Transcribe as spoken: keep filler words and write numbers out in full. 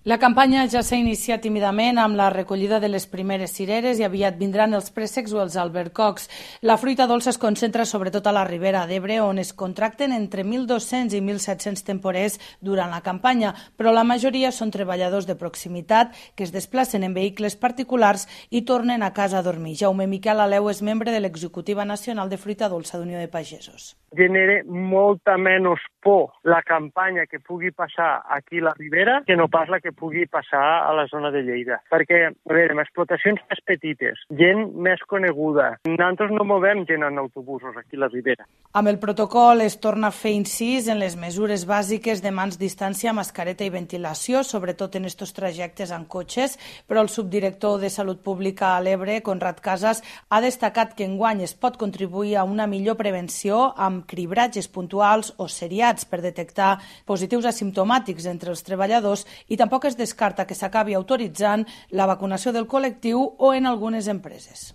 La campanya ja s'ha iniciat tímidament amb la recollida de les primeres cireres i aviat vindran els préssecs o els albercocs. La fruita dolça es concentra sobretot a la Ribera d'Ebre, on es contracten entre mil dos-cents i mil set-cents temporers durant la campanya, però la majoria són treballadors de proximitat que es desplacen en vehicles particulars i tornen a casa a dormir. Jaume Miquel Aleu és membre de l'Executiva Nacional de Fruita Dolça d'Unió de Pagesos. Genera molta menys por la campanya que pugui passar aquí a la Ribera que no pas la que pugui passar a la zona de Lleida. Perquè, a veure, amb explotacions més petites, gent més coneguda, nosaltres no movem gent en autobusos aquí a la Ribera. Amb el protocol es torna a fer incís en les mesures bàsiques de mans, distància, mascareta i ventilació, sobretot en estos trajectes en cotxes, però el subdirector de Salut Pública a l'Ebre, Conrad Casas, ha destacat que enguany es pot contribuir a una millor prevenció amb cribratges puntuals o seriats per detectar positius asimptomàtics entre els treballadors i tampoc es descarta que s'acabi autoritzant la vacunació del col·lectiu o en algunes empreses.